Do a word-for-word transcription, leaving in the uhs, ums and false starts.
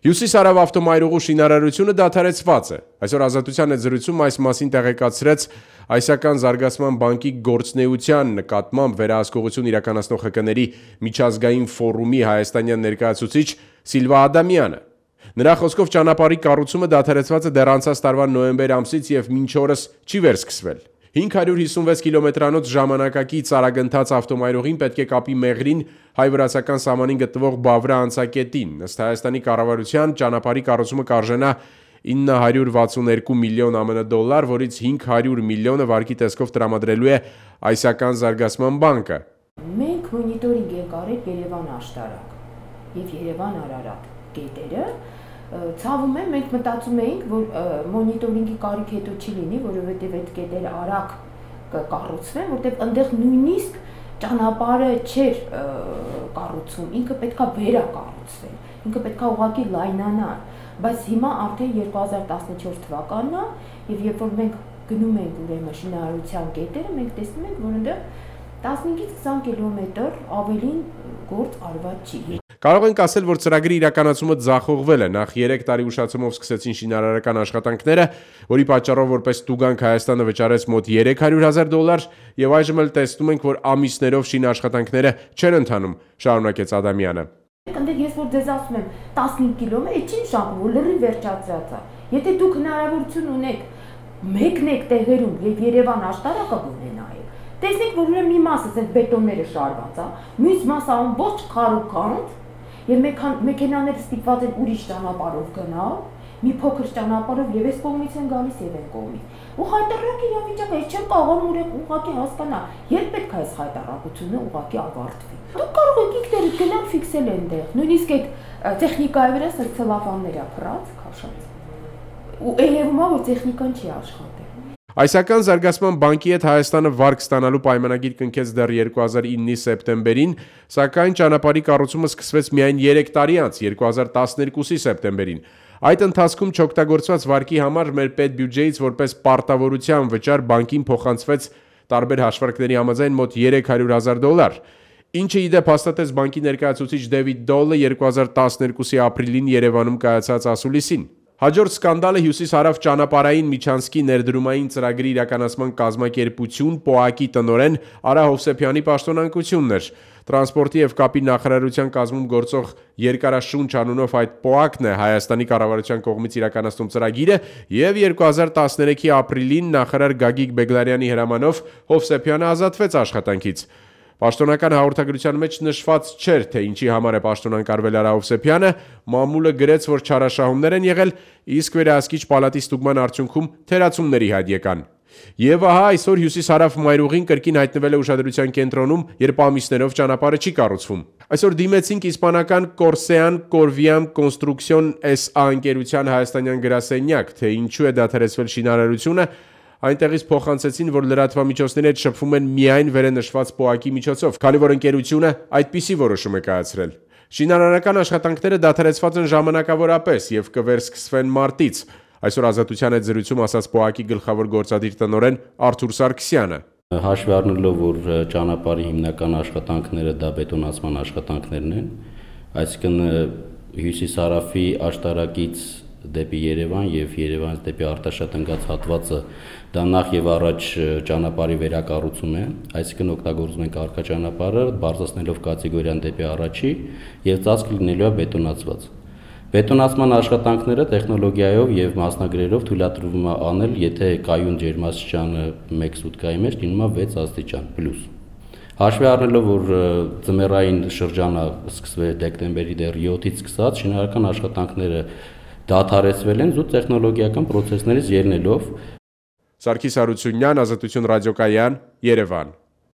Հյուսիս-հարավ ավտոմայրուղու շինարարությունը դադարեցված է։ Այսօր Ազատության հետ զրույցում այս մասին տեղեկացրեց Այսական զարգացման բանկի գործունեության նկատմամբ վերահսկողություն իրականացնող ՀԿ-ների միջազգային ֆորումի հայաստանյան ներկայացուցիչ Սիլվա Ադամյանը։ Նրա խոսքով ճանապարհի կառուցումը դադարեցված է դեռ անցած տարվա նոյեմբեր ամսից եւ մինչ օրս չի վերսկսվել։ հինգ հարյուր հիսունվեց կիլոմետրանոց ժամանակակից արագընթաց ավտոմայրուղին պետք է կապի Մեղրին հայ-վրացական սահմանին գտնվող Բավրա անցակետին։ Ըստ Հայաստանի կառավարության ճանապարհի կառուցումը կարժենա ինը հարյուր վաթսունհինգ միլիոն ԱՄՆ դոլար, որից հինգ հարյուր միլիոնը վարկի տեսքով տրամադրելու է Այսական զարգացման բանկը։ Մենք մոնիտորինգ ենք արել Երևան աշտարակ եւ Երևան Արարատ կետերը։ Ցավում եմ, մենք մտածում էինք, որ մոնիտորինգի կարիք հետո չի լինի, որովհետև այդ կետերը արագ կկառուցվեն, որտեղ այնտեղ նույնիսկ ճանապարհը չէր կառուցվում, ինքը պետքա վերակառուցվեր, ինքը պետքա ուղղակի լայնանար, բայց հիմա արդեն երկու հազար տասնչորս թվականն է, եւ երբ որ մենք գնում ենք ուրեմն շինարարության կետերը, մենք տեսնում ենք, որ այնտեղ տասնհինգից քսան կիլոմետր ավելին գործ արված չի։ Կարող ենք ասել, որ ծրագրի իրականացումը ձախողվել է։ Նախ երեք տարի ուշացումով սկսեցին շինարարական աշխատանքները, որի պատճառով որպես տուգանք Հայաստանը վճարեց մոտ երեք հարյուր հազար դոլար, եւ այժմ էլ տեսնում ենք, որ ամիսներով շինաշխատանքները չեն ընթանում, շարունակեց Ադամյանը։ Այնտեղ ես որ ձեզ ասում եմ տասնհինգ կիլոմետր, չի նշանակում, որ լրիվ վերջացած է։ Եթե դուք հնարավորություն ունեք մեկնեք տեղերում եւ Երևան աշտարակը գտնենայեք, տեսնեք, որ ուրեմն մի մասը այդ բետոնները շարված է, մյուս մասը ամբողջ քարուքանդ եւ մեքենաները ստիպված են ուրիշ ճանապարհով գնալ, մի փոքր ճանապարհով եւ այս կողմից են գալիս եւ այն կողմից։ Ու խայտարակի իրավիճակը ես չեմ կարող ուղղակի հասկանալ, երբ պետք է այս խայտարակությունը ուղղակի ավարտվի։ Դուք կարող եք ինքներդ գնալ ֆիքսել այնտեղ, նույնիսկ այդ տեխնիկայի վրա սրցելավաններ է փռած, քաշած։ Ու երևում է, որ տեխնիկան չի աշխատել։ Այսական զարգացման բանկի հետ Հայաստանը վարկ ստանալու պայմանագիր կնքեց դեռ երկու հազար իննի սեպտեմբերին, սակայն ճանապարհի կառուցումը սկսվեց միայն երեք տարի անց, երկու հազար տասներկուսի սեպտեմբերին։ Այդ ընթացքում չօգտագործված վարկի համար մեր պետբյուջեից որպես պարտավորության վճար բանկին փոխանցվեց տարբեր հաշվարկների համաձայն մոտ երեք հարյուր հազար դոլար, ինչը ի դեպ հաստատեց բանկի ներկայացուցիչ Դեվիդ Դոլը երկու հազար տասներկուսի ապրիլին Երևանում կայացած ասուլիսին։ Հաջորդ սկանդալը հյուսիս-հարավ ճանապարհային միջանցքի ներդրումային ծրագրի իրականացման կազմակերպություն ՊՕԱԿ-ի տնօրեն Արա Հովսեփյանի պաշտոնանկությունն էր։ Տրանսպորտի եւ կապի նախարարության կազմում գործող երկարաշունչ անունով այդ ՊՕԱԿ-ն է Հայաստանի կառավարության կողմից իրականացնում ծրագիրը եւ երկու հազար տասներեքի ապրիլին նախարար Գագիկ Բեգլարյանի հրամանով Հովսեփյանը ազատվեց աշխատանքից։ Պաշտոնական հաղորդագրության մեջ նշված չէր, թե ինչի համար է պաշտոնակարվել Արա Հովսեփյանը, մամուլը գրեց, որ չարաշահումներ են եղել, իսկ վերահսկիչ պալատի ստուգման արդյունքում թերացումների հայտ եկան։ Եվ ահա այսօր հյուսիս-հարավ մայրուղին կրկին հայտնվել է ուշադրության կենտրոնում, երբ ամիսներով ճանապարհը չի կառուցվում։ Այսօր դիմեցինք իսպանական Corsean Corviam Construction էս ա ընկերության հայաստանյան գրասենյակ, թե ինչու է դադարեցվել շինարարությունը, այնտեղից փոխանցեցին, որ լրատվամիջոցների հետ շփվում են միայն վերենշված ՊՕԱԿ-ի միջոցով, քանի որ ընկերությունը այդպիսի որոշում է կայացրել։ Շինարարական աշխատանքները դադարեցված են ժամանակավորապես եւ կվերսկսվեն մարտից։ Այսօր Ազատության հետ զրույցում ասաց ՊՕԱԿ-ի գլխավոր գործադիր տնօրեն Արթուր Սարգսյանը։ Հաշվի առնելով, որ ճանապարհի հիմնական աշխատանքները դա բետոնացման աշխատանքներն են, այսինքն հյուսիս-հարավի աշտարակից դեպի Երևան եւ Երևանից դեպի Արտաշատ ընկած հատվածը դա նախ եւ առաջ ճանապարհի վերակառուցում է, այսինքն օգտագործում ենք առկա ճանապարհը, բարձրացնելով կատեգորիան դեպի առաջի եւ ծածկ լինելու է բետոնացված։ Բետոնացման աշխատանքները տեխնոլոգիայով եւ մասնագրերով թույլատրվում է անել, եթե կայուն ջերմաստիճանը մեկ սուտկայի մեջ լինում է վեց աստիճան պլյուս։ Հաշվի առնելով, որ ձմեռային շրջանը սկսվել է դեկտեմբերի դեռ յոթից սկսած, շինարարական աշխատանքները դադարեցվել են զուտ տեխնոլոգիական պրոցեսներից ելնելով։ Սարգիս Հարությունյան, Ազատություն ռադիոկայան, Երևան։